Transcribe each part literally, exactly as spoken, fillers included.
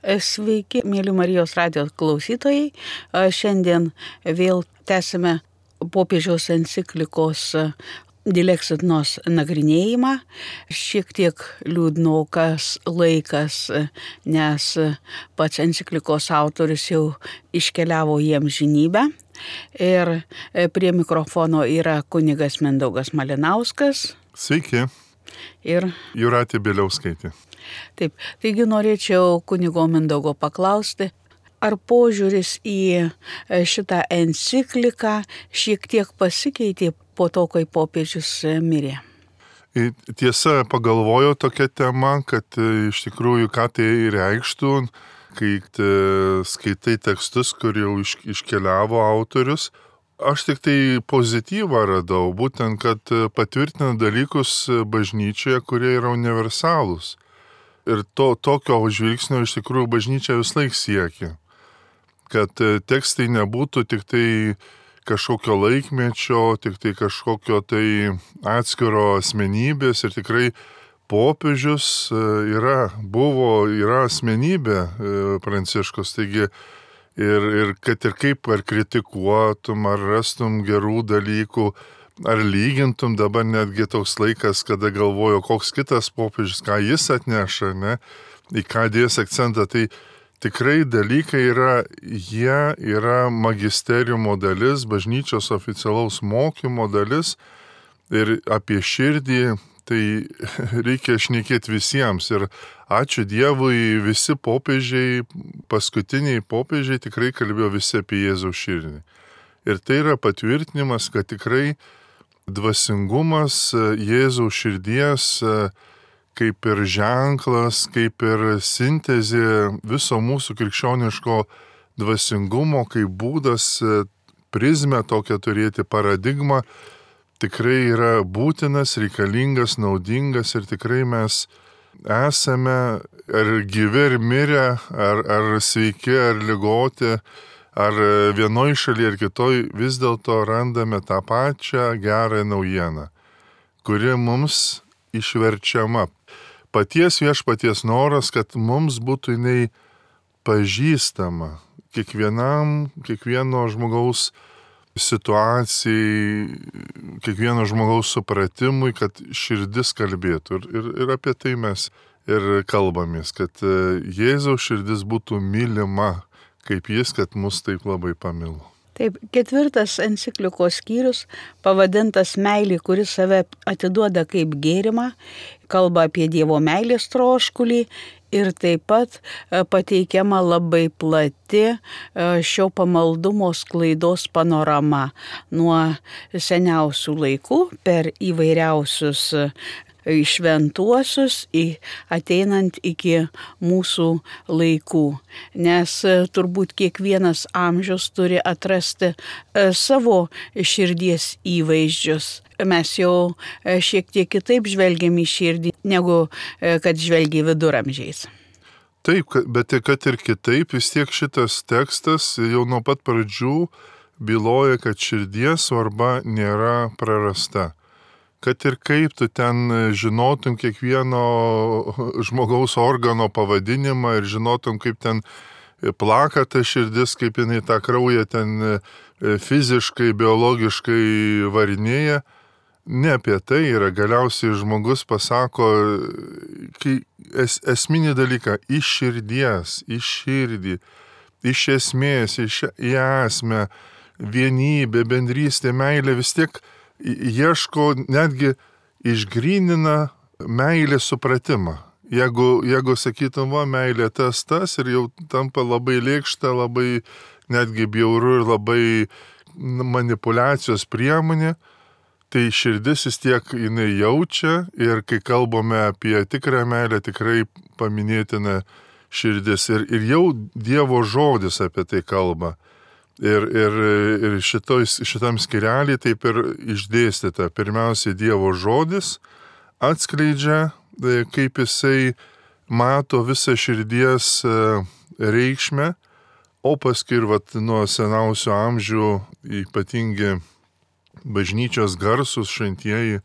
Sveiki, mėly Marijos radijo klausytojai. Šiandien vėl tęsime popiežiaus enciklikos Dilexit Nos nagrinėjimą. Šiek tiek liūdnokas laikas, nes pats enciklikos autorius jau iškeliavo į amžinybę. Ir prie mikrofono yra kunigas Mindaugas Malinauskas. Sveiki. Ir Jūratė Bieliauskaitė. Taip, taigi norėčiau kunigo Mindaugo paklausti, ar požiūris į šitą encikliką šiek tiek pasikeitė po to, kai popiežius mirė? Tiesa, pagalvojo tokia tema, kad iš tikrųjų ką tai reikštų, kai skaitai tekstus, kur jau iškeliavo autorius. Aš tik tai pozityvą radau, būtent, kad patvirtina dalykus bažnyčioje, kurie yra universalūs. Ir to, tokio žvilgsnio iš tikrųjų bažnyčia vis laik siekia. Kad tekstai nebūtų tik tai kažkokio laikmečio, tik tai kažkokio tai atskiro asmenybės. Ir tikrai popiežius yra, buvo, yra asmenybė Pranciškus. Taigi, ir, ir kad ir kaip ar kritikuotum, ar rastum gerų dalykų, ar lygintum, dabar netgi toks laikas, kada galvojo, koks kitas popiežius, ką jis atneša, ne, į ką dės akcentą, tai tikrai dalykai yra, jie yra magisteriumo dalis, bažnyčios oficialaus mokymo dalis ir apie širdį tai reikia šnekėti visiems. Ir ačiū Dievui, visi popiežiai, paskutiniai popiežiai tikrai kalbėjo visi apie Jėzaus širdį. Ir tai yra patvirtinimas, kad tikrai dvasingumas Jėzaus širdies kaip ir ženklas, kaip ir sintezė viso mūsų krikščioniško dvasingumo, kaip būdas, prizmę tokią turėti, paradigmą, tikrai yra būtinas, reikalingas, naudingas ir tikrai mes esame ar gyvi, ar mirę, ar, ar sveiki, ar ligoti, ar vienoj šalyje, ar kitoj, vis dėlto randame tą pačią gerą naujieną, kuri mums išverčiama. Paties viešpaties noras, kad mums būtų jinai pažįstama kiekvienam, kiekvieno žmogaus situacijai, kiekvieno žmogaus supratimui, kad širdis kalbėtų. Ir, ir, ir apie tai mes ir kalbamės, kad Jėzaus širdis būtų mylima, kaip jis, kad mus taip labai pamilo. Taip, ketvirtas enciklikos skyrius, pavadintas meilė, kuris save atiduoda kaip gėrimą, kalba apie Dievo meilės troškulį ir taip pat pateikiama labai plati šio pamaldumo sklaidos panorama nuo seniausių laikų per įvairiausius šventuosius ateinant iki mūsų laikų. Nes turbūt kiekvienas amžius turi atrasti savo širdies įvaizdžius. Mes jau šiek tiek kitaip žvelgiam į širdį, negu kad žvelgia viduramžiais. Taip, bet kad ir kitaip, vis tiek šitas tekstas jau nuo pat pradžių byloja, kad širdies svarba nėra prarasta. Kad ir kaip tu ten žinotum kiekvieno žmogaus organo pavadinimą ir žinotum, kaip ten plaka ta širdis, kaip jinai tą kraują ten fiziškai, biologiškai varinėja. Ne apie tai yra. Galiausiai žmogus pasako kai es, esminį dalyką iš širdies, iš širdį, iš esmės, iš į esmę, vienybė, bendrystė, meilė vis tiek ieško, netgi išgrynina meilės supratimą. Jeigu, jeigu sakytum, va, meilė tas, tas ir jau tampa labai lėkšta, labai netgi bjauru ir labai manipulacijos priemonė, tai širdis vis tiek jinai jaučia ir kai kalbame apie tikrą meilę, tikrai paminėtina širdis. Ir, ir jau Dievo žodis apie tai kalba. Ir, ir, ir šitoj, šitam skirelį taip ir išdėstyta. Pirmiausiai Dievo žodis atskleidžia, kaip jisai mato visą širdies reikšmę, o paskui ir vat, nuo seniausių amžių ypatingi bažnyčios garsūs šventieji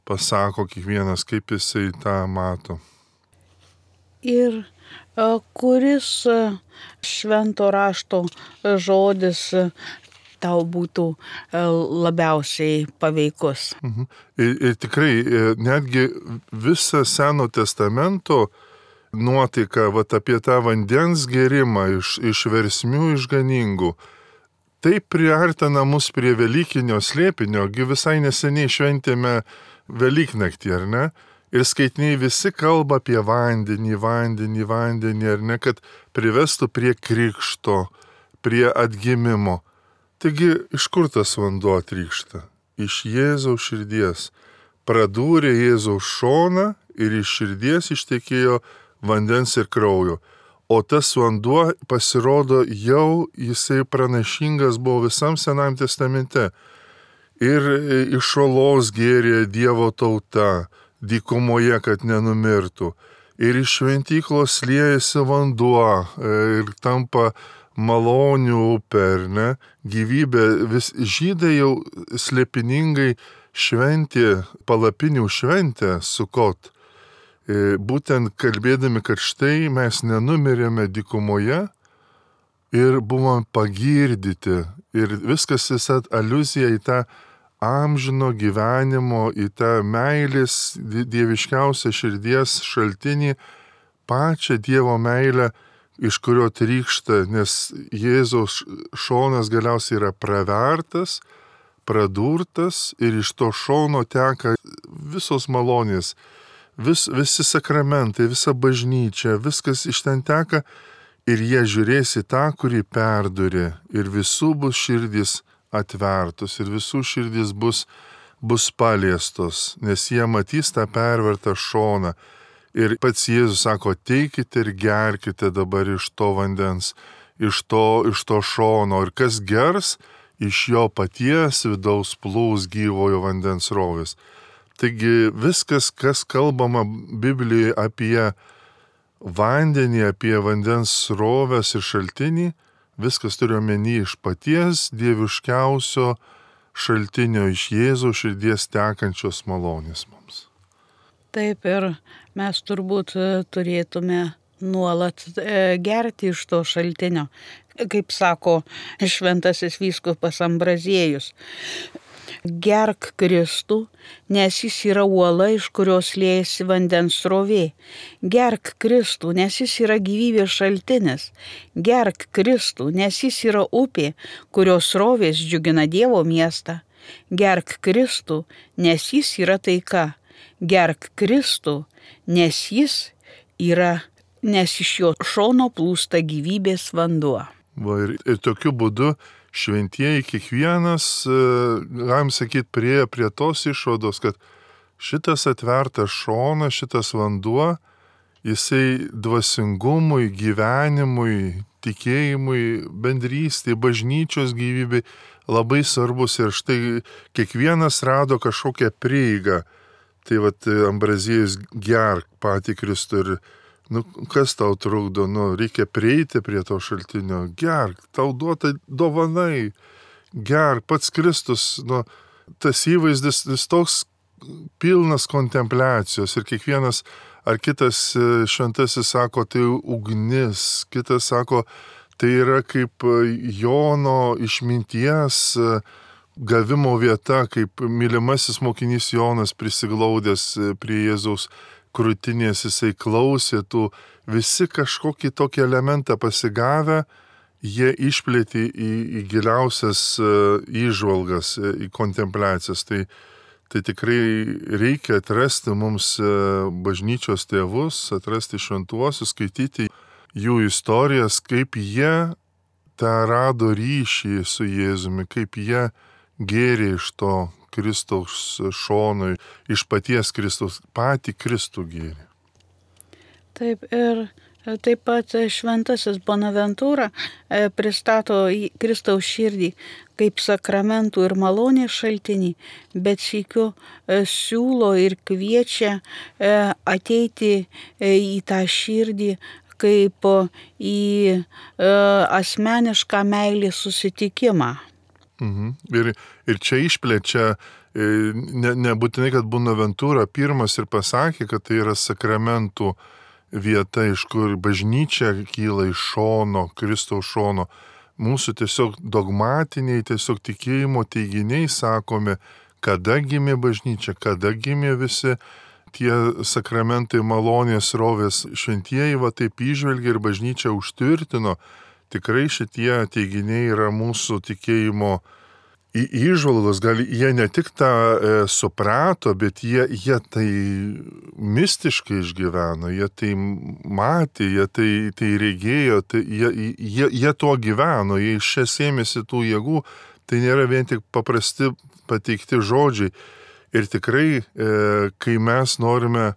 pasako kiekvienas, kaip jisai tą mato. Ir kuris švento rašto žodis tau būtų labiausiai paveikus. Mhm. Ir, ir tikrai, netgi visą Seno testamento nuotaika, vat apie tą vandens gerimą iš, iš versmių išganingų, tai priartina mus prie Velykinio slėpinio, gi visai neseniai šventėme Velyknaktį, ar ne? Ir skaitiniai visi kalba apie vandenį, vandenį, vandenį, ar ne, kad privestų prie krikšto, prie atgimimo. Taigi, iš kur tas vanduo trykšta? Iš Jėzaus širdies. Pradūrė Jėzaus šoną ir iš širdies ištekėjo vandens ir kraujo. O tas vanduo pasirodo jau jisai pranašingas buvo visam Senam testamente. Ir iš olos gėrė Dievo tauta, dykumoje, kad nenumirtų. Ir iš šventyklos liejasi vanduo ir tampa malonių upė, ar ne? Gyvybė, vis žydai jau slėpiningai šventė, palapinių šventę Sukot. Būtent kalbėdami, kad štai mes nenumirėme dykumoje ir buvom pagirdyti. Ir viskas visą aliuzija į tą amžino gyvenimo, į tą meilės dieviškiausią širdies šaltinį, pačią Dievo meilę, iš kurio trykšta, nes Jėzaus šonas galiausiai yra pravertas, pradurtas ir iš to šono teka visos malonės. Vis, visi sakramentai, visa bažnyčia, viskas iš ten teka ir jie žiūrės į tą, kurį perdurė ir visų bus širdys atvertos ir visų širdys bus, bus paliestos, nes jie matys tą pervertą šoną. Ir pats Jėzus sako, teikite ir gerkite dabar iš to vandens, iš to, iš to šono ir kas gers, iš jo paties vidaus plūs gyvojo vandens rovės. Taigi viskas, kas kalbama Biblijoje apie vandenį, apie vandens rovės ir šaltinį, viskas turi omeny iš paties dieviškiausio šaltinio, iš Jėzaus širdies tekančios malonės mums. Taip ir mes turbūt turėtume nuolat gerti iš to šaltinio, kaip sako šventasis vyskupas Ambraziejus. Gerk Kristų, nes jis yra uola, iš kurios liejasi vandens srovė. Gerk Kristų, nes jis yra gyvybės šaltinis. Gerk Kristų, nes jis yra upė, kurios srovės džiugina Dievo miestą. Gerk Kristų, nes jis yra taika. Gerk Kristų, nes jis yra, nes iš jo šono plūsta gyvybės vanduo. Va, ir, ir tokiu būdu šventieji kiekvienas, galim sakyti, prie, prie tos išvados, kad šitas atvertas šonas, šitas vanduo, jisai dvasingumui, gyvenimui, tikėjimui, bendrystėj, bažnyčios gyvybei labai svarbus. Ir štai kiekvienas rado kažkokią prieigą. Tai vat Ambraziejus gerk patį Kristų ir nu, kas tau trukdo, nu, reikia prieiti prie to šaltinio, gerk, tau duota dovanai, gerk, pats Kristus, nu, tas įvaizdis, jis toks pilnas kontempliacijos ir kiekvienas ar kitas šventasis sako, tai ugnis, kitas sako, tai yra kaip Jono išminties gavimo vieta, kaip mylimasis mokinys Jonas prisiglaudęs prie Jėzaus krūtinės, jisai klausė tų, visi kažkokį tokį elementą pasigavę, jie išplėtė į, į giliausias įžvalgas, į kontempliacijas. Tai, tai tikrai reikia atrasti mums bažnyčios tėvus, atrasti šventuosius, skaityti jų istorijas, kaip jie tą rado ryšį su Jėzumi, kaip jie gėrė iš to Kristaus šonui, iš paties Kristaus, patį Kristų gėrį. Taip ir taip pat šventasis Bonaventūra pristato Kristaus širdį kaip sakramentų ir malonės šaltinį, bet sykiu siūlo ir kviečia ateiti į tą širdį kaip į asmenišką meilės susitikimą. Mhm. Ir, ir čia išplečia, ne, nebūtinai, kad Bonaventūra pirmas ir pasakė, kad tai yra sakramentų vieta, iš kur bažnyčia kyla iš šono, Kristaus šono. Mūsų tiesiog dogmatiniai, tiesiog tikėjimo teiginiai sakomi, kada gimė bažnyčia, kada gimė visi tie sakramentai, malonės, rovės, šventieji va taip įžvelgia ir bažnyčia užtvirtino. Tikrai šitie teiginiai yra mūsų tikėjimo į įžvalgos, gal jie ne tik tą e, suprato, bet jie, jie tai mistiškai išgyveno, jie tai matė, jie tai, tai regėjo, tai jie, jie, jie tuo gyveno, jie iš čia sėmėsi tų jėgų, tai nėra vien tik paprasti pateikti žodžiai. Ir tikrai, e, kai mes norime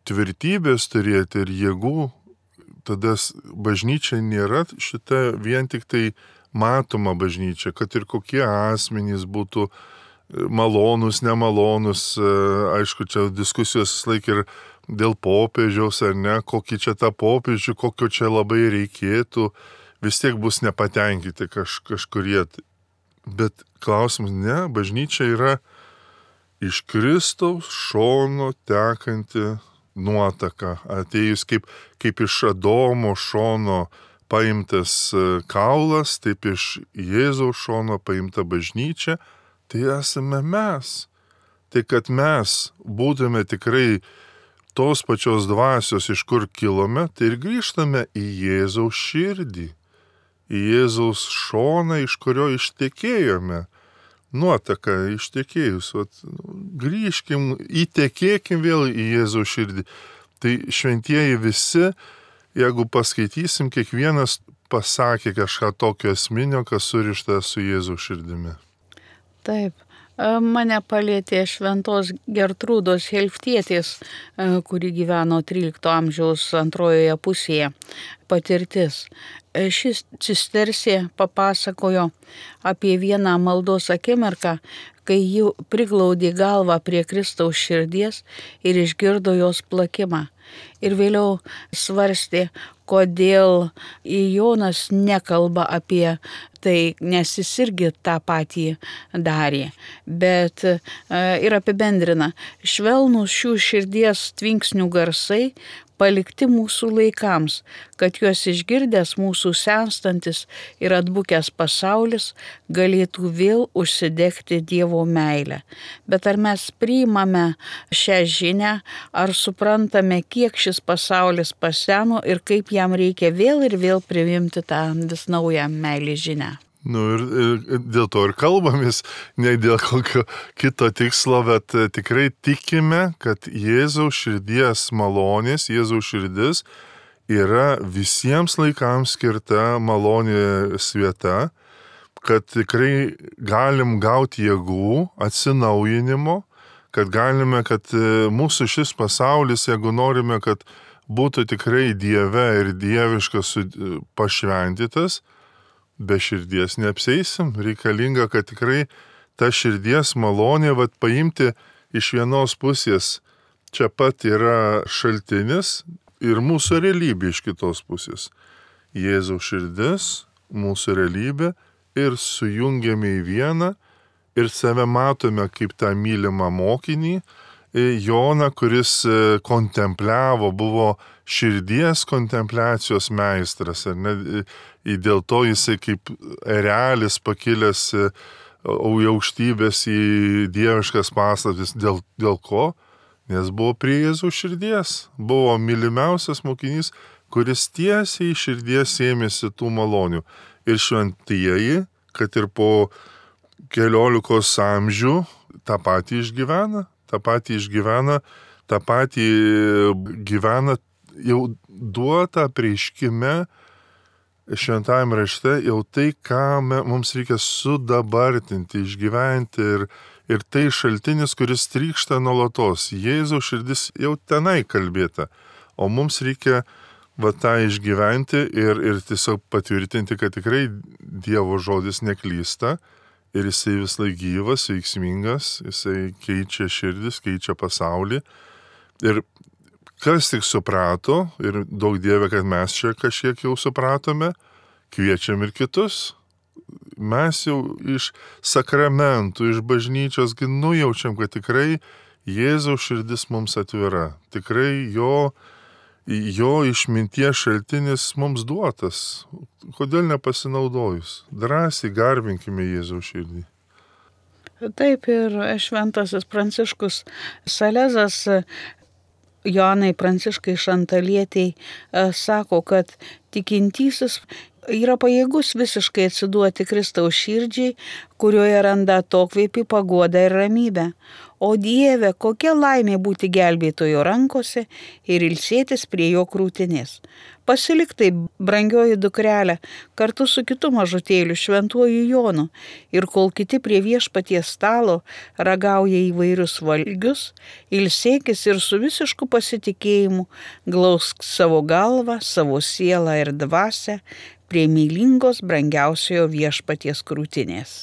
tvirtybės turėti ir jėgų, tada bažnyčia nėra šita vien tik tai matoma bažnyčia, kad ir kokie asmenys būtų malonus, nemalonus, aišku, čia diskusijos laik ir dėl popiežiaus ar ne, kokį čia tą popiežių, kokio čia labai reikėtų, vis tiek bus nepatenkinti kaž, kažkurie. Bet klausimas, ne, bažnyčia yra iš Kristaus šono tekanti nuotaka, atėjus kaip, kaip iš Adomo šono paimtas kaulas, taip iš Jėzaus šono paimta bažnyčia, tai esame mes. Tai kad mes būtume tikrai tos pačios dvasios, iš kur kilome, tai ir grįžtame į Jėzaus širdį, į Jėzaus šoną, iš kurio ištekėjome. Nuotaka ištekėjus, vat, grįžkim, įtekėkim vėl į Jėzaus širdį. Tai šventieji visi, jeigu paskaitysim, kiekvienas pasakė kažką tokio esminio, kas surišta su Jėzaus širdimi. Taip, mane palėtė šventos Gertrūdos Helftietės, kuri gyveno trylikto amžiaus antrojoje pusėje, patirtis. Šis cistersė papasakojo apie vieną maldos akimirką, kai ji priglaudė galvą prie Kristaus širdies ir išgirdo jos plakimą. Ir vėliau svarstė, kodėl Jonas nekalba apie tai, nes jis irgi tą patį darė. Bet ir apibendrina, švelnūs šių širdies tvinksnių garsai palikti mūsų laikams, kad juos išgirdęs mūsų senstantis ir atbukęs pasaulis galėtų vėl užsidegti Dievo meilę. Bet ar mes priimame šią žinią, ar suprantame, kiek šis pasaulis paseno ir kaip jam reikia vėl ir vėl priimti tą vis naują meilės žinią? Nu ir, ir dėl to ir kalbamės, ne dėl kokio kito tikslo, bet tikrai tikime, kad Jėzaus širdies malonės, Jėzaus širdis yra visiems laikams skirta malonės vieta, kad tikrai galim gauti jėgų, atsinaujinimo, kad galime, kad mūsų šis pasaulis, jeigu norime, kad būtų tikrai Dieve ir dieviškas pašventytas, be širdies neapseisim, reikalinga, kad tikrai ta širdies malonė, vat paimti iš vienos pusės, čia pat yra šaltinis ir mūsų realybė iš kitos pusės. Jėzaus širdis, mūsų realybė ir sujungiame į vieną ir save matome kaip tą mylimą mokinį, Joną, kuris kontempliavo, buvo širdies kontempliacijos meistras, ar ne? Ir dėl to jisai kaip erelis pakilęs į aukštybės, į dieviškas paslaptis. Dėl, dėl ko? Nes buvo prie Jėzaus širdies, buvo mylimiausias mokinys, kuris tiesiai iš širdies ėmėsi tų malonių. Ir šventieji, kad ir po keliolikos amžių tą patį išgyvena, tą patį išgyvena, tą patį gyvena jau duota apreiškime šventajame rašte, jau tai, ką mums reikia sudabartinti, išgyventi ir, ir tai šaltinis, kuris trykšta nuolatos. Jėzaus širdis jau tenai kalbėta, o mums reikia va tą išgyventi ir, ir tiesiog patvirtinti, kad tikrai Dievo žodis neklysta. Ir jisai vis laik gyvas, veiksmingas, jisai keičia širdis, keičia pasaulį. Ir kas tik suprato, ir daug Dieve, kad mes čia kažkiek jau supratome, kviečiam ir kitus. Mes jau iš sakramentų, iš bažnyčios nujaučiam, kad tikrai Jėzaus širdis mums atvira. Tikrai jo, jo išminties šaltinis mums duotas. Kodėl nepasinaudojus? Drąsiai garbinkime Jėzaus širdį. Taip ir šventasis Pranciškus Salezas, Joanai Pranciškai Šantalietei, sako, kad tikintysis yra pajėgus visiškai atsiduoti Kristaus širdžiai, kurioje randa atokvėpį, paguodą ir ramybę. O Dieve, kokia laimė būti gelbėtojo rankose ir ilsėtis prie jo krūtinės. Pasilik taip, brangioji dukrelė, kartu su kitu mažutėliu šventuoju Jonu, ir kol kiti prie viešpaties stalo ragauja įvairius valgius, ilsėkis ir su visišku pasitikėjimu glausk savo galvą, savo sielą ir dvasią prie mylingos brangiausiojo viešpaties krūtinės.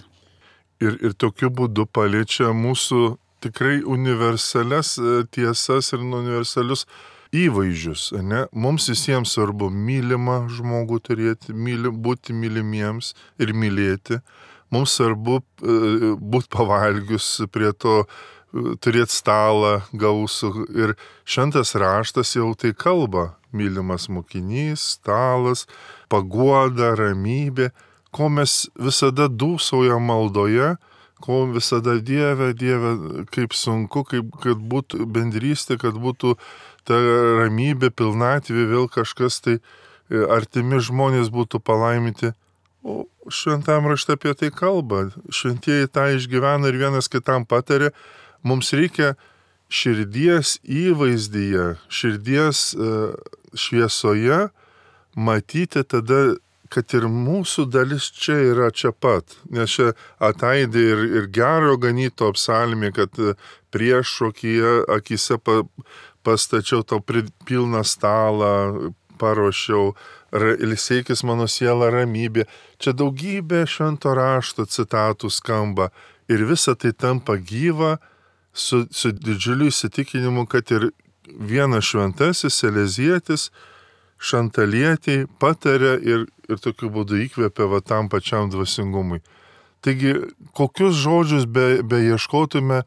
Ir, ir tokiu būdu paliečia mūsų tikrai universalias tiesas ir universalius įvaizdžius, ne? Mums visiems svarbu mylimą žmogų turėti, myli, būti mylimiems ir mylėti. Mums svarbu e, būti pavalgius prie to, e, turėti stalą gausų. Ir šventas raštas jau tai kalba. Mylimas mokinys, stalas, paguoda, ramybė, ko mes visada dūsaujam maldoje, ko visada Dieve, Dieve, kaip sunku, kaip, kad būtų bendrystė, kad būtų ta ramybė, pilnatvė, vėl kažkas tai artimi žmonės būtų palaiminti. O šventam rašte apie tai kalba. Šventieji tą išgyvena ir vienas kitam patarė. Mums reikia širdies įvaizdyje, širdies šviesoje matyti tada, kad ir mūsų dalis čia yra čia pat. Nes čia ataidė ir, ir gero ganyto psalmė, kad priešokyje akise pa, pastačiau tau pilną stalą, paruošiau, ilsėkis mano siela ramybė. Čia daugybė švento rašto citatų skamba ir visa tai tampa gyva su, su didžiuliu įsitikinimu, kad ir vienas šventasis Selezietis Šantalietei patarė ir, ir tokiu būdu įkvėpė va tam pačiam dvasingumui. Taigi, kokius žodžius be, be ieškotume,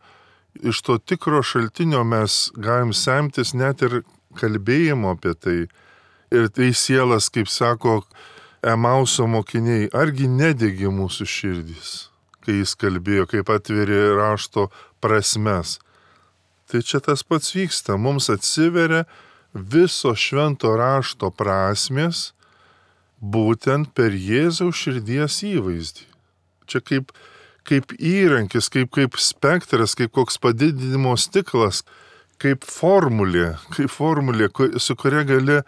iš to tikro šaltinio mes galim semtis net ir kalbėjimo apie tai. Ir tai sielas, kaip sako Emauso mokiniai, argi nedegi mūsų širdys, kai jis kalbėjo, kaip atverė rašto prasmes. Tai čia tas pats vyksta, mums atsiveria viso švento rašto prasmės būtent per Jėzaus širdies įvaizdį. Čia kaip, kaip įrankis, kaip, kaip spektras, kaip koks padidinimo stiklas, kaip formulė, kaip formulė, su kuria gali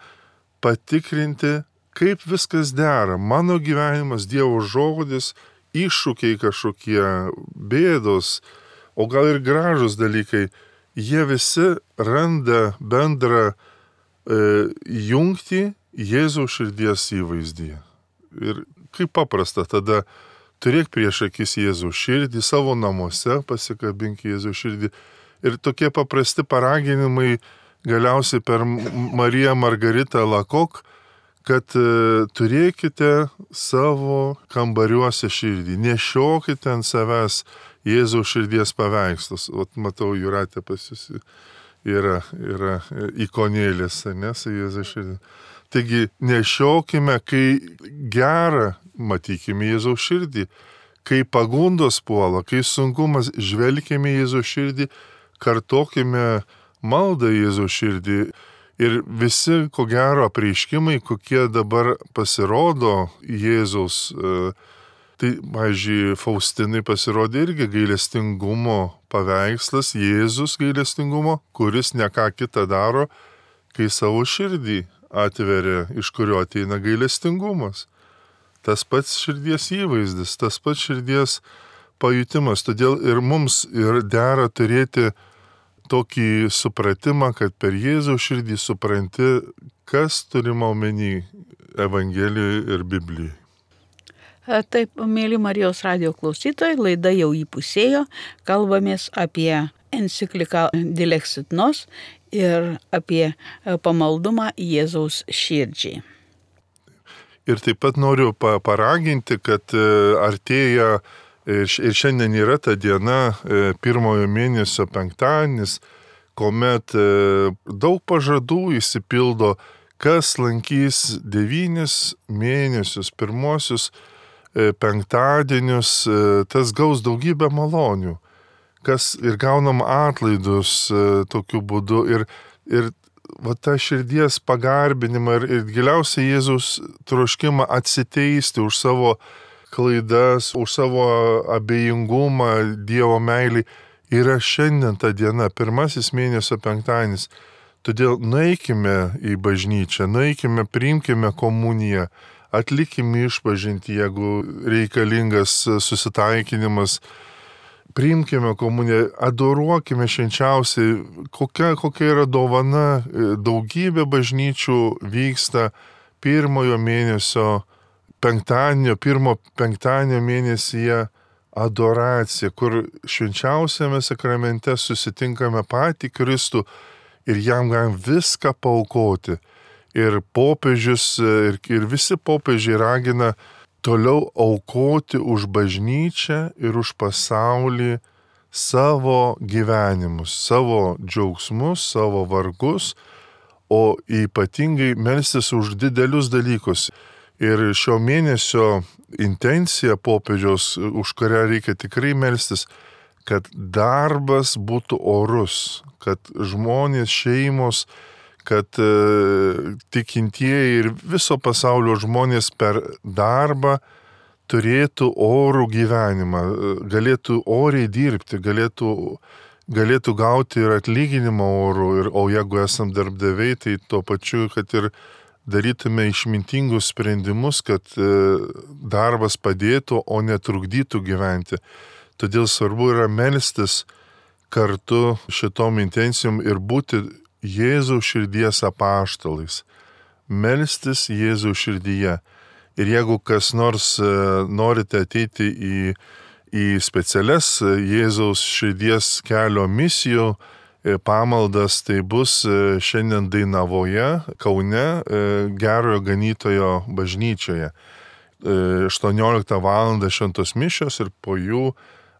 patikrinti, kaip viskas dera. Mano gyvenimas, Dievo žodis, iššūkiai kažkokie, bėdos, o gal ir gražus dalykai, jie visi randa bendrą e, jungtį Jėzaus širdies įvaizdyje. Ir kaip paprasta, tada turėk prieš akis Jėzaus širdį, savo namuose pasikabink Jėzaus širdį. Ir tokie paprasti paraginimai galiausiai per Mariją Margaritą Lakok, kad e, turėkite savo kambariuose širdį, nešiokite ant savęs Jėzaus širdies paveikslus. Ot, matau, Jūratė pas jūs yra, yra ikonėlės, ne, su Jėzaus širdį. Taigi, nešiokime, kai gera, matykime Jėzaus širdį, kai pagundos puola, kai sunkumas, žvelkime Jėzaus širdį, kartokime maldą Jėzaus širdį. Ir visi, ko gero, apreiškimai, kokie dabar pasirodo Jėzaus, tai, pavyzdžiui, Faustinai pasirodė irgi gailestingumo paveikslas, Jėzus gailestingumo, kuris ne ką kitą daro, kai savo širdį atveria, iš kurio ateina gailestingumas. Tas pats širdies įvaizdis, tas pats širdies pajutimas. Todėl ir mums ir dera turėti tokį supratimą, kad per Jėzaus širdį supranti, kas turima omeny Evangelijoje ir Biblijoje. Taip, mėly Marijos radijo klausytojai, laida jau įpusėjo, kalbamės apie encikliką Dilexit Nos ir apie pamaldumą Jėzaus širdžiai. Ir taip pat noriu paraginti, kad artėja ir šiandien yra ta diena, pirmojo mėnesio penktadienis, kuomet daug pažadų išsipildo, kas lankys devynis mėnesius, pirmosius penktadienius, tas gaus daugybę malonių, kas ir gaunam atlaidus tokiu būdu ir, ir va tą širdies pagarbinimą ir, ir giliausiai Jėzaus troškimą atsiteisti už savo klaidas, už savo abejingumą Dievo meilį yra šiandien ta diena, pirmasis mėnesio penktadienis. Todėl nueikime į bažnyčią, nueikime, priimkime komuniją, atlikime išpažintį, jeigu reikalingas susitaikinimas, priimkime komuniją, adoruokime švenčiausiai, kokia, kokia yra dovana, daugybė bažnyčių vyksta pirmojo mėnesio penktadienio, pirmo penktadienio mėnesyje adoracija, kur švenčiausiame sakramente susitinkame patį Kristų ir jam galim viską paaukoti. Ir popiežius, ir, ir visi popiežiai ragina toliau aukoti už bažnyčią ir už pasaulį savo gyvenimus, savo džiaugsmus, savo vargus, o ypatingai melstis už didelius dalykus. Ir šio mėnesio intencija popiežiaus, už kurią reikia tikrai melstis, kad darbas būtų orus, kad žmonės, šeimos, kad e, tikintieji ir viso pasaulio žmonės per darbą turėtų orų gyvenimą, galėtų oriai dirbti, galėtų, galėtų gauti ir atlyginimą orų, ir, o jeigu esam darbdaviai, tai tuo pačiu, kad ir darytume išmintingus sprendimus, kad darbas padėtų, o netrukdytų gyventi. Todėl svarbu yra melstis kartu šitom intencijom ir būti Jėzaus širdies apaštalais. Melstis Jėzaus širdyje. Ir jeigu kas nors norite ateiti į, į specialias Jėzaus širdies kelio misijų, pamaldas, tai bus šiandien Dainavoje, Kaune, Gerojo Ganytojo bažnyčioje. aštuonioliktą valandą šventos mišios ir po jų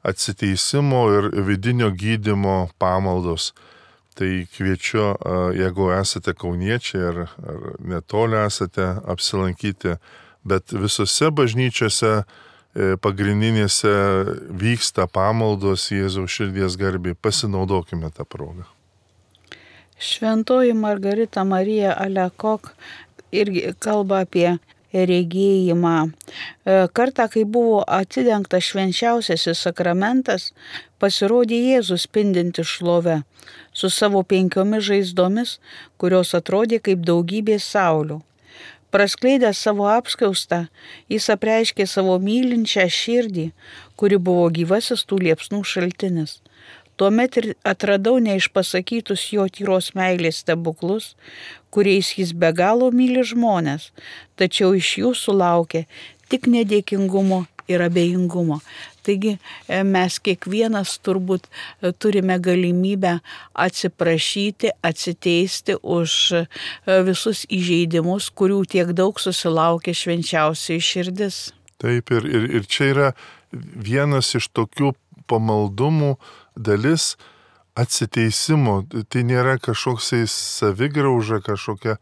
atsiteisimo ir vidinio gydymo pamaldos. Tai kviečiu, jeigu esate kauniečiai ar, ar netoli esate, apsilankyti, bet visose bažnyčiose pagrindinėse vyksta pamaldos Jėzaus širdies garbei. Pasinaudokime tą progą. Šventoji Margarita Marija Alekok irgi kalba apie regėjimą. Kartą, kai buvo atidengtas švenčiausiasis sakramentas, pasirodė Jėzus spindinti šlove su savo penkiomis žaizdomis, kurios atrodė kaip daugybė saulių. Praskleidęs savo apskaustą, jis apreiškė savo mylinčią širdį, kuri buvo gyvasis tų liepsnų šaltinis. Tuomet ir atradau neišpasakytus jo tyros meilės stebuklus, kuriais jis be galo myli žmonės, tačiau iš jų sulaukė tik nedėkingumo ir abejingumo. Taigi mes kiekvienas turbūt turime galimybę atsiprašyti, atsiteisti už visus įžeidimus, kurių tiek daug susilaukė švenčiausioji širdis. Taip, ir, ir, ir čia yra vienas iš tokių pamaldumų dalis atsiteisimo. Tai nėra kažkoksai savigrauža kažkokia,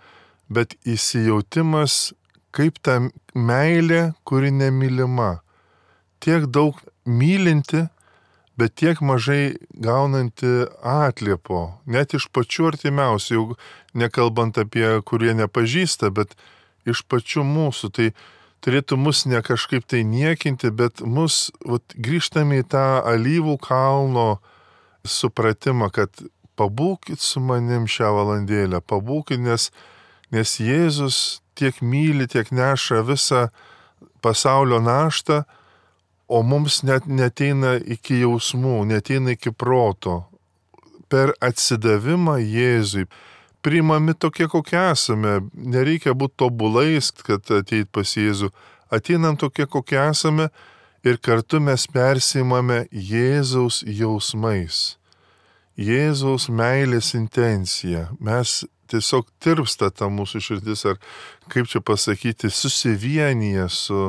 bet įsijautimas kaip ta meilė, kuri nemylima. Tiek daug mylinti, bet tiek mažai gaunanti atliepo, net iš pačių artimiausių, jau nekalbant apie kurie nepažįsta, bet iš pačių mūsų. Tai turėtų mus ne kažkaip tai niekinti, bet mus vat, grįžtame į tą alyvų kalno supratimą, kad pabūkit su manim šią valandėlę, pabūkit, nes, nes Jėzus tiek myli, tiek neša visą pasaulio naštą, o mums net neteina iki jausmų, neteina iki proto. Per atsidavimą Jėzui priimami tokie, kokie esame. Nereikia būti tobulais, kad ateit pas Jėzų. Ateinam tokie, kokie esame ir kartu mes persiimame Jėzaus jausmais. Jėzaus meilės intencija. Mes tiesiog tirpsta ta mūsų širdis, ar kaip čia pasakyti, susivienyje su,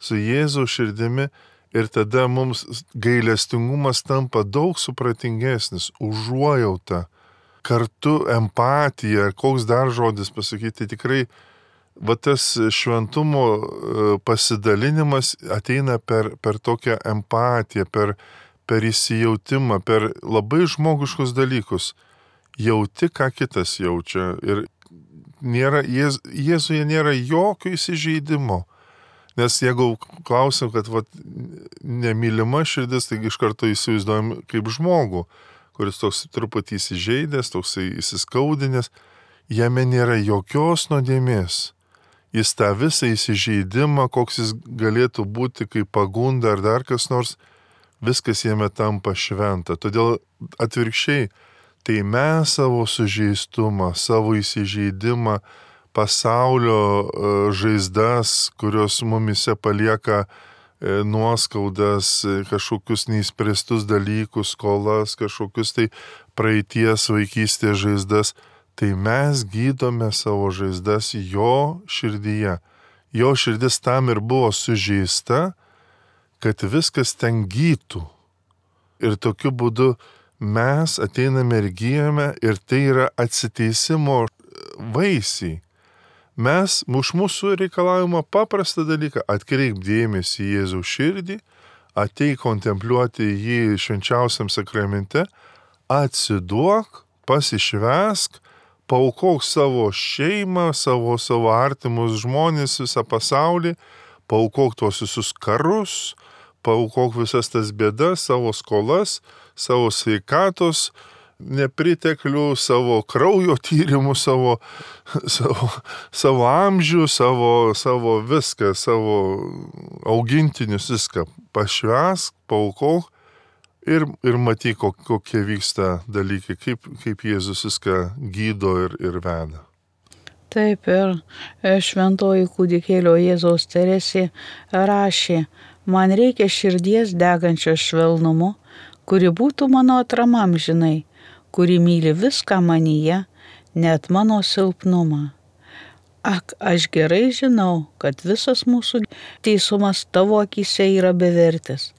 su Jėzaus širdimi. Ir tada mums gailestingumas tampa daug supratingesnis, užuojauta, kartu empatija, koks dar žodis pasakyti, tai tikrai va tas šventumo pasidalinimas ateina per, per tokią empatiją, per, per įsijautimą, per labai žmogiškus dalykus. Jauti, ką kitas jaučia. Ir nėra, Jėz, Jėzuje nėra jokio įsižeidimo. Nes jeigu klausim, kad vat, nemylima širdis, tai iš karto įsivaizduojam kaip žmogų, kuris toks truputį įsižeidęs, toks įsiskaudinęs, jame nėra jokios nuodėmės. Jis tą visą įsižeidimą, koks jis galėtų būti kaip pagunda ar dar kas nors, viskas jame tampa šventa. Todėl atvirkščiai, tai mes savo sužeistumą, savo įsižeidimą, pasaulio žaizdas, kurios mumise palieka nuoskaudas, kažkokius neįspręstus dalykus, skolas, kažkokius tai praeities vaikystės žaizdas, tai mes gydome savo žaizdas jo širdyje. Jo širdis tam ir buvo sužeista, kad viskas ten gytų. Ir tokiu būdu mes ateiname ir gyjame, ir tai yra atsiteisimo vaisiai. Mes, už mūsų reikalavimą paprastą dalyką, atkreip dėmesį į Jėzaus širdį, ateik kontempliuoti jį švenčiausiam sakramente, atsiduok, pasišvesk, paaukok savo šeimą, savo, savo artimus žmonės, visą pasaulį, paaukok tuos visus karus, paaukok visas tas bėdas, savo skolas, savo sveikatos nepriteklių, savo kraujo tyrimų, savo, savo, savo amžių, savo, savo viską, savo augintinius viską. Pašvesk, paaukok ir, ir matyk, kokie vyksta dalykai, kaip, kaip Jėzus viską gydo ir, ir veda. Taip, ir šventoji kūdikėlio Jėzaus Teresė rašė, man reikia širdies degančios švelnumu, kuri būtų mano atramam žinai, kuri myli viską manyje, net mano silpnumą. Ak, aš gerai žinau, kad visas mūsų teisumas tavo akyse yra bevertis.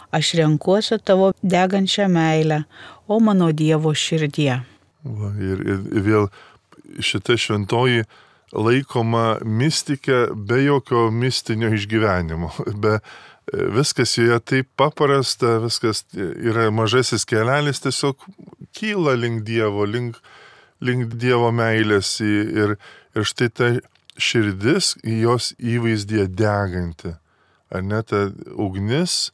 Aš renkuosi tavo degančią meilę, o mano Dievo širdie. Va, ir, ir vėl šita šventoji laikoma mistikė be jokio mistinio išgyvenimo, be viskas joje taip paprasta, viskas yra mažasis kelelis, tiesiog kyla link Dievo, link, link Dievo meilės ir, ir štai ta širdis jos įvaizdyje deganti. Ar ne, ta ugnis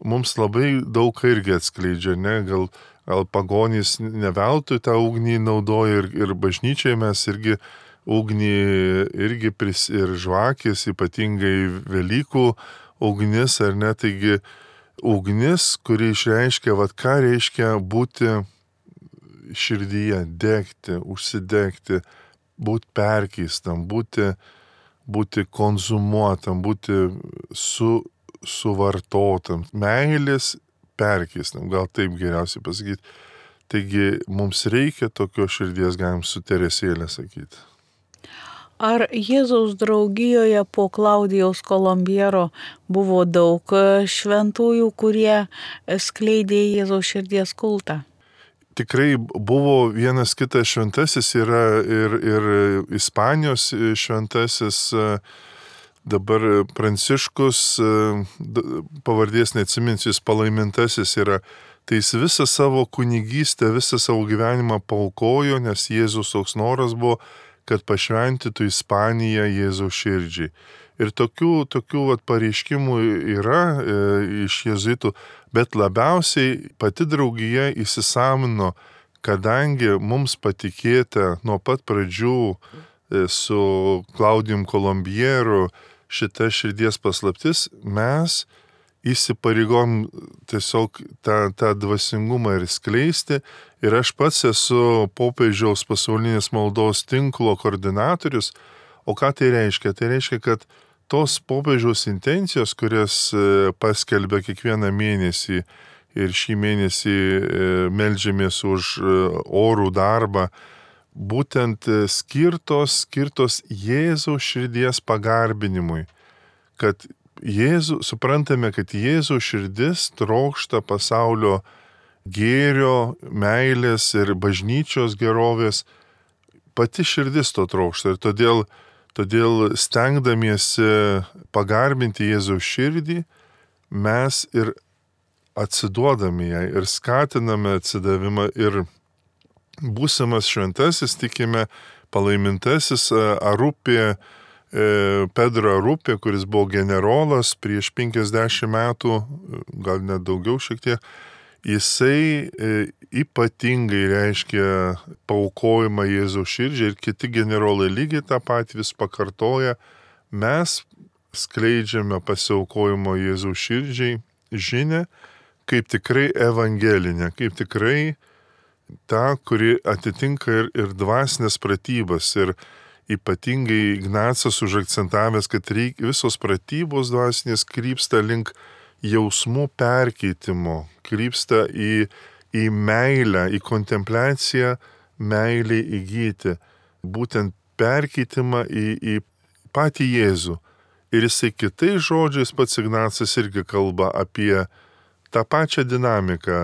mums labai daug irgi atskleidžia, ne, gal, gal pagonys neveltui tą ugnį naudoja ir, ir bažnyčiai mes irgi ugnį irgi pris, ir žvakės, ypatingai Velykų ugnis, ar ne, taigi ugnis, kuri išreiškia, vat ką reiškia būti širdyje, degti, užsidegti, būti perkeistam, būti, būti konzumuotam, būti su, suvartotam, meilės perkeistam, gal taip geriausiai pasakyti. Taigi mums reikia tokios širdies, galim su Teresėlė sakyti. Ar Jėzaus draugijoje po Klaudijaus Kolombiero buvo daug šventųjų, kurie skleidė Jėzaus širdies kultą? Tikrai buvo vienas kitas šventasis, yra ir, ir Ispanijos šventasis, dabar Pranciškus, pavardės neatsiminsiu, jis palaimintasis yra. Tai jis visą savo kunigystę, visą savo gyvenimą paaukojo, nes Jėzus toks noras buvo, kad pašventytų Ispaniją Jėzaus širdžiai. Ir tokių, tokių vat, pareiškimų yra e, iš jėzuitų, bet labiausiai pati draugija įsisamino, kadangi mums patikėta nuo pat pradžių e, su Klaudijum Kolombieru šita širdies paslaptis, mes įsipareigom tiesiog tą, tą dvasingumą ir skleisti. Ir aš pats esu popiežiaus pasaulinės maldos tinklo koordinatorius. O ką tai reiškia? Tai reiškia, kad tos popiežiaus intencijos, kurias paskelbė kiekvieną mėnesį ir šį mėnesį meldžiamės už orų darbą, būtent skirtos, skirtos Jėzaus širdies pagarbinimui. Kad Jėzų, suprantame, kad Jėzaus širdis trokšta pasaulio gėrio, meilės ir bažnyčios gerovės, pati širdis to trokšta. Ir todėl, todėl stengdamiesi pagarbinti Jėzaus širdį, mes ir atsiduodame jai ir skatiname atsidavimą ir būsimas šventasis, tikime, palaimintasis Arupė, Pedro Arupė, kuris buvo generolas prieš penkiasdešimt metų, gal net daugiau šiek tiek, jisai ypatingai reiškia paaukojimą Jėzaus širdžiai ir kiti generolai lygiai tą patį vis pakartoja. Mes skleidžiame pasiaukojimo Jėzaus širdžiai žinią kaip tikrai evangelinę, kaip tikrai tą, kuri atitinka ir, ir dvasinės pratybas. Ir ypatingai Ignacas užakcentavęs, kad reik, visos pratybos dvasinės krypsta link jausmų perkeitimo, krypsta į, į meilę, į kontempliaciją, meilį įgyti, būtent perkeitimą į, į patį Jėzų. Ir jisai kitais žodžiais pats Ignacas irgi kalba apie tą pačią dinamiką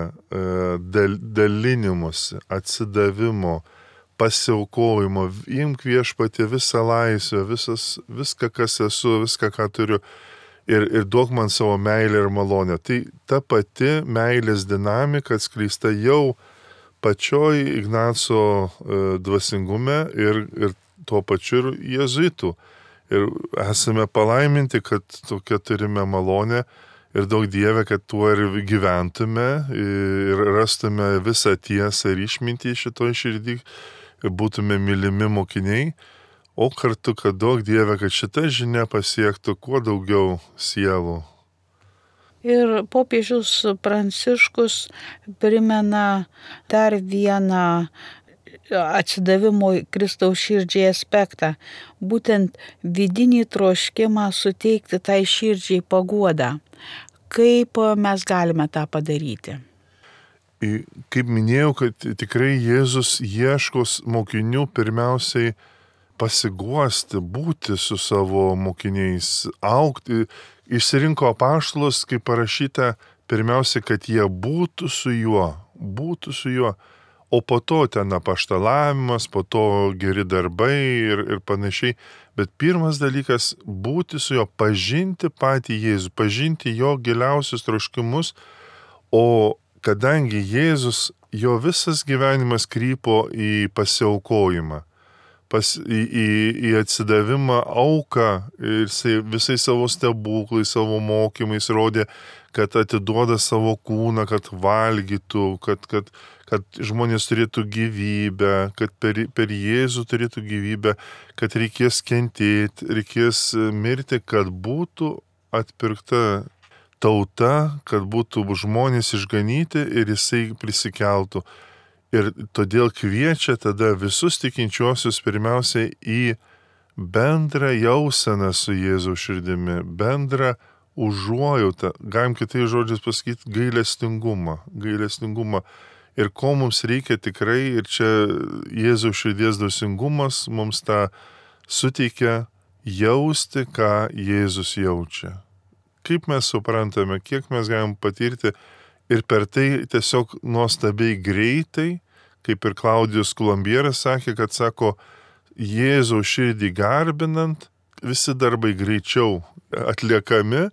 dal, dalinimuose, atsidavimo, pasiaukojimo, imk viešpatie visą laisvę, visas, viską, kas esu, viską, ką turiu ir, ir duok man savo meilę ir malonę. Tai ta pati meilės dinamika atskleista jau pačioj Ignaco dvasingume ir, ir tuo pačiu ir jėzuitų. Ir esame palaiminti, kad tokia turime malonę. Ir daug Dieve, kad tuo ir gyventume ir rastume visą tiesą ir išmintį šitoj širdį ir būtume mylimi mokiniai, o kartu, kad daug Dieve, kad šita žinia pasiektų kuo daugiau sielų. Ir popiežius Pranciškus primena dar vieną atsidavimo Kristaus širdžiai aspektą, būtent vidinį troškimą suteikti tai širdžiai paguodą. Kaip mes galime tą padaryti? Kaip minėjau, kad tikrai Jėzus ieškos mokinių pirmiausiai pasiguosti, būti su savo mokiniais, augti. Išsirinko apaštalus, kaip parašyta, pirmiausia, kad jie būtų su juo, būtų su juo. O po to ten apaštalavimas, po to geri darbai ir, ir panašiai. Bet pirmas dalykas - būti su juo, pažinti patį Jėzų, pažinti jo giliausius troškimus. O kadangi Jėzus, jo visas gyvenimas krypo į pasiaukojimą, pas, į, į, į atsidavimą auką ir jisai visai savo stebuklais, savo mokymais rodė, kad atiduoda savo kūną, kad valgytų, kad, kad, kad žmonės turėtų gyvybę, kad per, per Jėzų turėtų gyvybę, kad reikės kentėti, reikės mirti, kad būtų atpirkta tauta, kad būtų žmonės išganyti ir jisai prisikeltų. Ir todėl kviečia tada visus tikinčiuosius pirmiausia į bendrą jauseną su Jėzaus širdimi, bendrą užuojautą, galim kitais žodžiais pasakyti, gailestingumą, gailestingumą. Ir ko mums reikia tikrai, ir čia Jėzaus širdies dvasingumas mums tą suteikia jausti, ką Jėzus jaučia. Kaip mes suprantame, kiek mes galim patirti ir per tai tiesiog nuostabiai greitai, kaip ir Klaudijus Kolumbieras sakė, kad sako, Jėzaus širdį garbinant, visi darbai greičiau atliekami,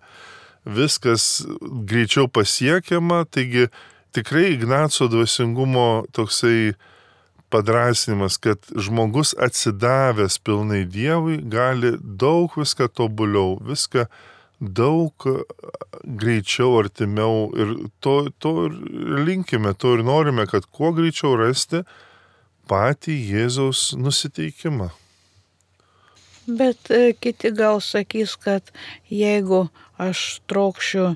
viskas greičiau pasiekiama, taigi tikrai Ignaco dvasingumo toksai padrasinimas, kad žmogus atsidavęs pilnai Dievui gali daug viską tobuliau, viską daug greičiau, artimiau ir to, to ir linkime, to ir norime, kad kuo greičiau rasti patį Jėzaus nusiteikimą. Bet kiti gal sakys, kad jeigu aš trokšiu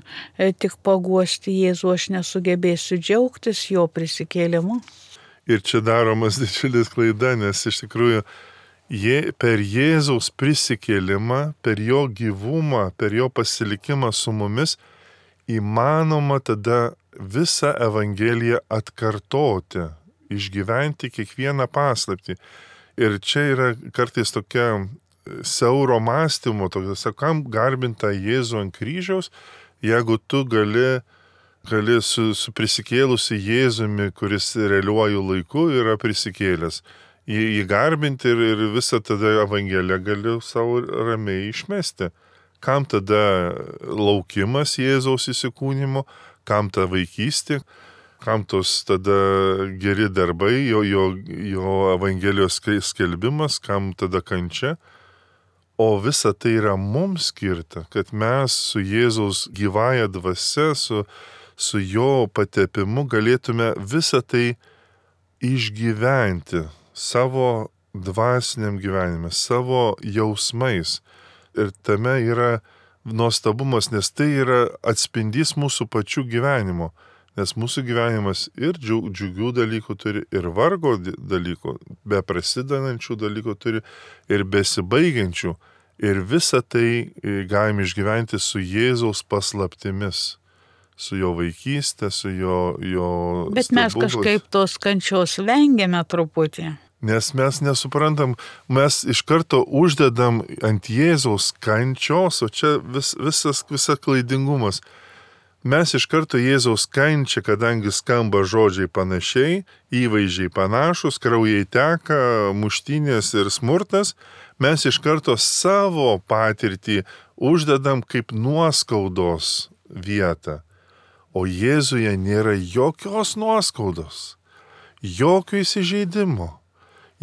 tik paguosti Jėzų, aš nesugebėsiu džiaugtis jo prisikėlimu. Ir čia daromas didžiulis klaida, nes iš tikrųjų je, per Jėzaus prisikėlimą, per jo gyvumą, per jo pasilikimą su mumis įmanoma tada visą Evangeliją atkartoti, išgyventi kiekvieną paslaptį. Ir čia yra kartais tokia siauro mąstymo, tokia, kam garbinta Jėzų ant kryžiaus, jeigu tu gali gali su, su prisikėlusi Jėzumi, kuris realiuoju laiku yra prisikėlęs, jį, jį garbinti ir, ir visą tada Evangeliją gali savo ramiai išmesti. Kam tada laukimas Jėzaus įsikūnymo, kam ta vaikystė, kam tos tada geri darbai, jo, jo, jo Evangelijos skelbimas, kam tada kančia. O visa tai yra mums skirta, kad mes su Jėzaus gyvąja dvasia, su, su jo patepimu galėtume visą tai išgyventi savo dvasiniam gyvenime, savo jausmais. Ir tame yra nuostabumas, nes tai yra atspindys mūsų pačių gyvenimo. Nes mūsų gyvenimas ir džiugių dalykų turi, ir vargo dalykų, be prasidedančių dalykų turi, ir besibaigiančių. Ir visą tai galime išgyventi su Jėzaus paslaptimis, su jo vaikystė, su jo, jo Bet mes stebuklais. Kažkaip tos kančios vengiame truputį. Nes mes nesuprantam, mes iš karto uždedam ant Jėzaus kančios, o čia vis, visas, visa klaidingumas. Mes iš karto Jėzaus kančią, kadangi skamba žodžiai panašiai, įvaizdžiai panašus, kraujai teka, muštynės ir smurtas, mes iš karto savo patirtį uždedam kaip nuoskaudos vietą. O Jėzuje nėra jokios nuoskaudos, jokio įsižeidimo,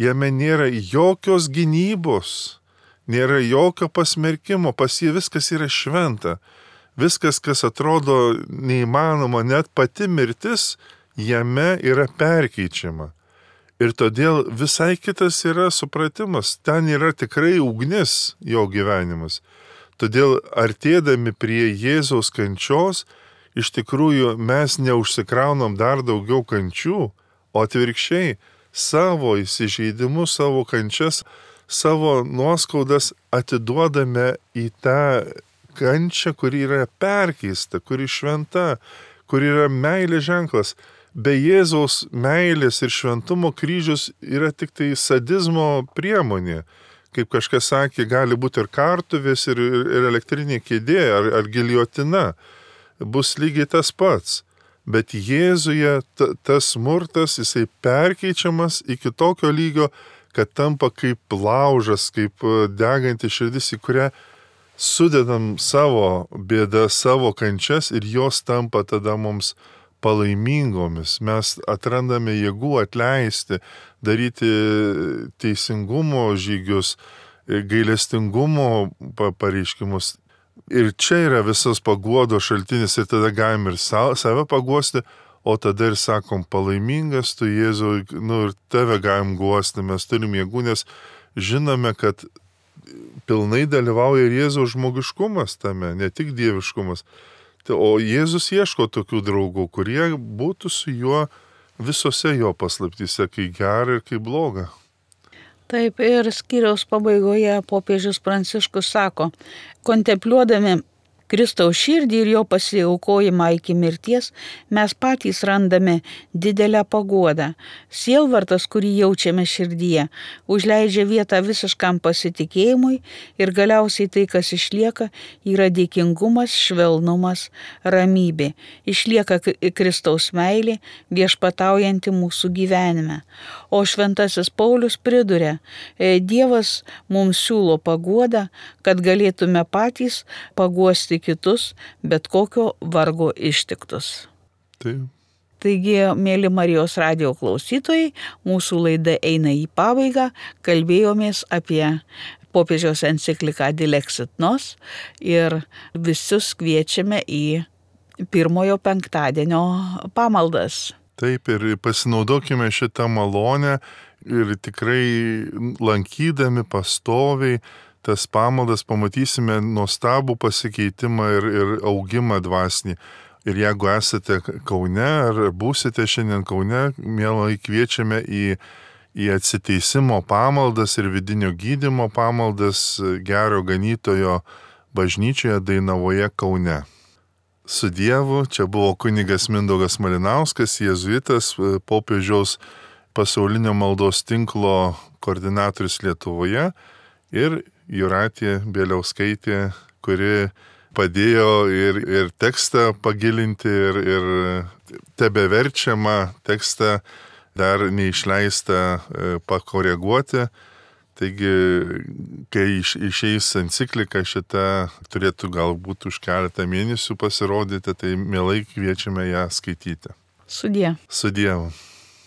jame nėra jokios gynybos, nėra jokio pasmerkimo, pas jį viskas yra šventa. Viskas, kas atrodo neįmanoma, net pati mirtis, jame yra perkeičiama. Ir todėl visai kitas yra supratimas, ten yra tikrai ugnis jo gyvenimas. Todėl artėdami prie Jėzaus kančios, iš tikrųjų mes neužsikraunam dar daugiau kančių, o atvirkščiai savo įsižeidimus, savo kančias, savo nuoskaudas atiduodame į tą kančia, kuri yra perkeista, kuri šventa, kuri yra meilės ženklas. Be Jėzaus meilės ir šventumo kryžius yra tik tai sadizmo priemonė. Kaip kažkas sakė, gali būti ir kartuvės, ir, ir elektrinė kėdė, ar, ar giliotina. Bus lygiai tas pats. Bet Jėzuje ta, tas smurtas, jisai perkeičiamas iki tokio lygio, kad tampa kaip laužas, kaip deganti širdis, į kurią sudedam savo bėdą, savo kančias ir jos tampa tada mums palaimingomis. Mes atrandame jėgų atleisti, daryti teisingumo žygius, gailestingumo pareiškimus. Ir čia yra visas paguodos šaltinis ir tada galim ir save paguosti, o tada ir sakom, palaimingas tu Jėzau, nu ir tave galim guosti, mes turim jėgų, nes žinome, kad pilnai dalyvauja ir Jėzaus žmogiškumas tame, ne tik dieviškumas. O Jėzus ieško tokių draugų, kurie būtų su juo visose jo paslaptyse, kai gera ir kai bloga. Taip, ir skyriaus pabaigoje popiežius Pranciškus sako, kontempliuodami Kristaus širdį ir jo pasiaukojimą iki mirties, mes patys randame didelę paguodą. Sielvartas, kurį jaučiame širdyje, užleidžia vietą visiškam pasitikėjimui ir galiausiai tai, kas išlieka, yra dėkingumas, švelnumas, ramybė. Išlieka Kristaus meilė, viešpataujanti mūsų gyvenime. O šventasis Paulius priduria, Dievas mums siūlo paguodą, kad galėtume patys paguosti kitus, bet kokio vargo ištiktus. Taip. Taigi, mėly Marijos radijo klausytojai, mūsų laida eina į pabaigą, kalbėjomės apie popiežiaus encikliką Dilexit Nos ir visus kviečiame į pirmojo penktadienio pamaldas. Taip, ir pasinaudokime šitą malonę ir tikrai lankydami pastoviai tas pamaldas pamatysime nuostabų pasikeitimą ir, ir augimą dvasinį. Ir jeigu esate Kaune ar būsite šiandien Kaune, mielai kviečiame į, į atsiteisimo pamaldas ir vidinio gydymo pamaldas Gero Ganytojo bažnyčioje Dainavoje Kaune. Su Dievu, čia buvo kunigas Mindaugas Malinauskas, jėzuitas, popiežiaus pasaulinio maldos tinklo koordinatorius Lietuvoje ir Jūratė Bieliauskaitė, kuri padėjo ir, ir tekstą pagilinti, ir, ir tebeverčiamą tekstą dar neišleistą pakoreguoti. Taigi, kai iš, išeis enciklika šita, turėtų galbūt už keletą mėnesių pasirodyti, tai mielai kviečiame ją skaityti. Sudie. Su Dievu.